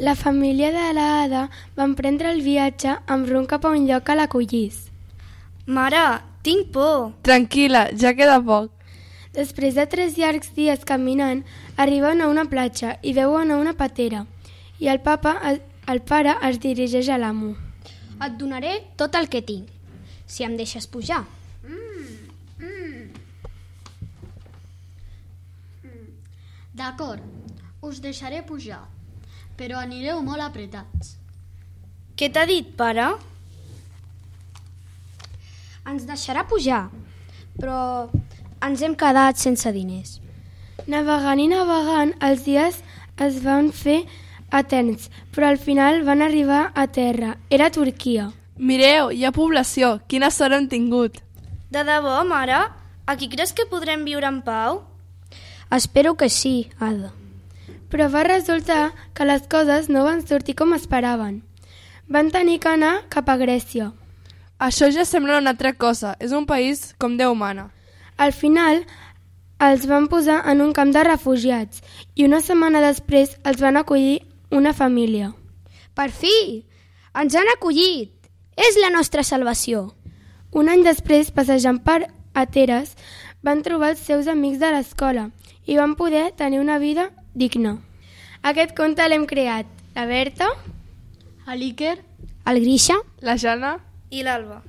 La família de l'Ada va emprendre el viatge amb rumb cap a un lloc que l'acollís. Mare, tinc por. Tranquil·la, ja queda poc. Després de 3 llargs dies caminant, arriben a una platja i veuen a una patera. I el pare es dirigeix a l'amo. Et donaré tot el que tinc, si em deixes pujar. D'acord, us deixaré pujar, però anireu molt apretats. Què t'ha dit, pare? Ens deixarà pujar, però ens hem quedat sense diners. Navegant i navegant, els dies es van fer eterns, però al final van arribar a terra. Era Turquia. Mireu, hi ha població. Quina sort hem tingut. De debò, mare? Aquí creus que podrem viure en pau? Espero que sí, Ada. Però va resultar que les coses no van sortir com esperaven. Van tenir que anar cap a Grècia. Això ja sembla una altra cosa. És un país com Déu mana. Al final, els van posar en un camp de refugiats i una setmana després els van acollir una família. Per fi! Ens han acollit! És la nostra salvació! Un any després, passejant per Ateres, van trobar els seus amics de l'escola i van poder tenir una vida digna. Aquest conte l'hem creat la Berta, A l'Iker, el Grisha La Jana i l'Alba.